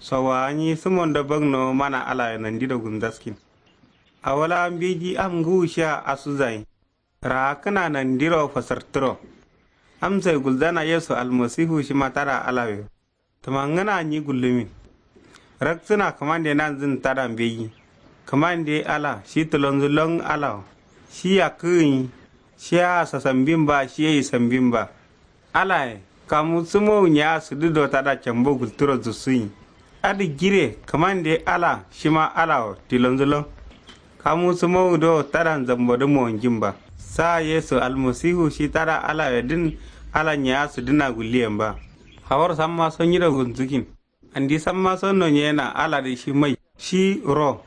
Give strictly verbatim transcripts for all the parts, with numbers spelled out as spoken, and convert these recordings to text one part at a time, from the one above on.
Sowa nyi sumondo bagno mana alaye nandiro gunzaskin. Awo la mbeji am ngǝwu shiya asuzayin. Raakǝna nandiro fasartǝro. Amsoye gulzana yesu almasifu shima tada alawe. Tǝmangǝna nyi gullumin. Raksǝna kǝmande nanzǝn tada mbeji. Kǝmande ala shi tǝlonzǝ lon alawo. Shi yakkǝgǝ nyi. Shiya sasambin ba shiye isambin ba. Alaye kamu sǝmowu nyiya sǝdǝ do tada cambo gultǝro zussuyin. Adǝ jire kǝmande ala shima alawo tilonzǝ lon. Kamu sǝmowu do tada nzambodǝ mowonjin ba. Sa yesu almasihu shi tada alawe dǝn. Ala nyiya sǝdǝna gulliyen ba. Hawar samma so nyiro gunzǝkin. Andi samma so nonyena aladǝ shi mai shi ro.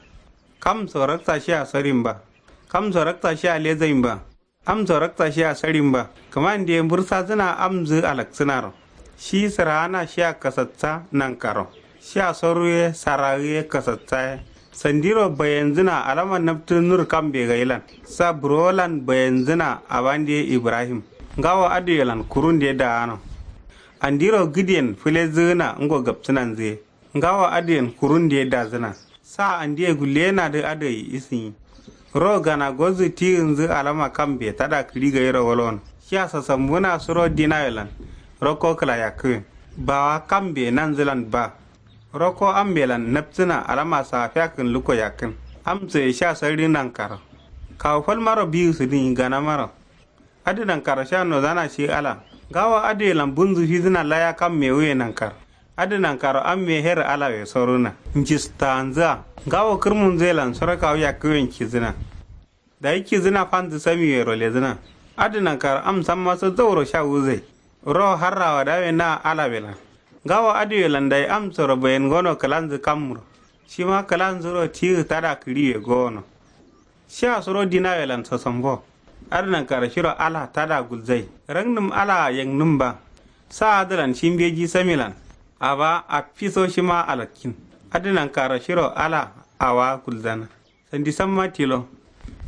Kamso raksa shiya sorin ba. Kamso raksa shiya lezain ba. Amso raksa shiya sarin ba. Kǝmande mbǝrsazǝna amzǝ alaksǝnaro. Shi sǝraana shiya kasatsa nankaro. Shiya soruye saragiye kasatsaye. Sandiro bayenzǝna alama naptǝ nur kambe gailan. Sa burowolan bayenzǝna abande ibrahim. Ngawo adǝyelan kurunde daano. Andiro gǝdiyen fǝlezǝgǝna ngo gapsǝnanzǝye. Ngawo adǝyen kurunde dazǝna. Sa andiye gulleyenadǝ adǝ gai isǝnyi. Ro gana gozǝ tigǝnzǝ alama kambe tada kǝɍi gairo wolono. Shiya sasambuna suro dinawelan. Rokko kǝla yakkǝyen. Bawa kambe nanzǝlan ba. Rokko ambelan napsǝna alama safiya kǝn lukko yakkǝn. Amsoye shiya sarri nankaro. Kawu falmaro biyu sǝdǝnyi ganamaro. Adǝ nankaro sha nozana shi ala. Ngawo adǝyelan bunzǝ fizǝna laya kam mewuye nankaro. Adǝ nankaro amme her alawe soruna. Njistanzǝa. Ngawo kǝrmunzǝyelan soro kawu yakkǝ wenkizǝna. Dayi kizǝna fanzǝ samiwero lezǝna. Adǝ nankaro am sammaso zauro sha wuzai. Ro harrawa dawe na alawelan. Ngawo adǝyelan dayi amsoro bayen gono kǝlanzǝ kamro. Shima kǝlanzǝro tigǝ tada kǝɍiwe gowono. Shiya suro dinawelan sosombo. Adǝ nankaro shiro ala tada gulzai. Raknǝm alaa yeknǝm ba. Sa adǝlan shi mbeji samilan. Aba affiso shima alakkin. Adǝ nankaro shiro ala awa gulzana. Sandi samma tilo.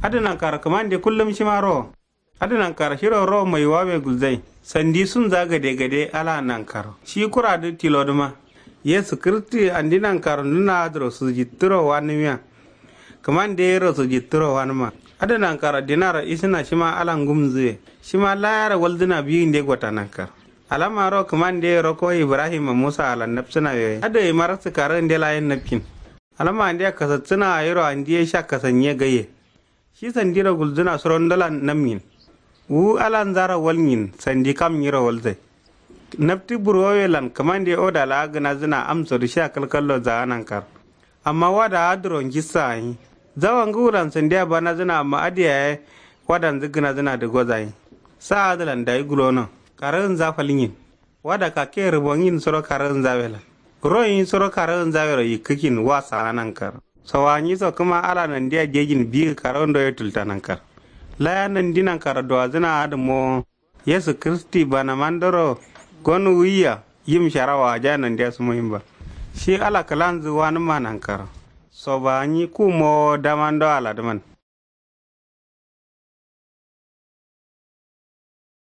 Adǝ nankaro kǝmande kullum shima rowo. Adǝ nankaro shiro rowo maiwawe gulzai. Sandi sunza gade gade ala nankaro shi kuradǝ tilodǝma. Yesu kǝrǝttǝ andi nankaro nǝna adǝro sujittǝro wanǝmiya. Kǝmande yero sujittǝro wanǝma. Adǝ nankaro dinaro isǝna shima ala ngumzǝye. Shima layaro walzǝna biyinde gota nankaro. Alamaro kǝmande yero ko ibrahima musa alan napsǝna yoye adǝ gai maraksǝ karǝgǝnde layen napkin. Alama andeya kasatsǝna gayiro andiye sha kasanyiye gaiye. Shi sandiro gulzǝna surondolan namnyin. Wu alanzaro walnyin sandi kam nyiro walzai. Naptǝ burwowelan kǝmande oda laa gǝnazǝna amsodǝ shiya kalkallo zaga nankaro. Amma wada adǝro njissa gǝnyi. Zawa ngǝwulan sandiya banazǝna amma adǝ yaye. Wadanzǝ gǝnazǝnadǝ goza gǝnyi. Sa adǝlan dayi gulono. Karagǝnza falnyin. Wada kakke rǝbongin suro karagǝnzawelan. Ro gǝnyi suro karagǝnzawero yikkǝkin wa saga nankaro. Sowa nyiso kǝma ala nandiya jejin biyǝ karagǝndo ye tulta nankaro. Laya nandi nankaro duwazǝna adǝ mowo. Yesu kǝrǝsti banamandoro. Gon wuiya yim shara waja nandiya sumoyin ba. Shi ala kǝlanzǝ wanǝmma nankaro. Soba nyi ku mowo damando aladǝman.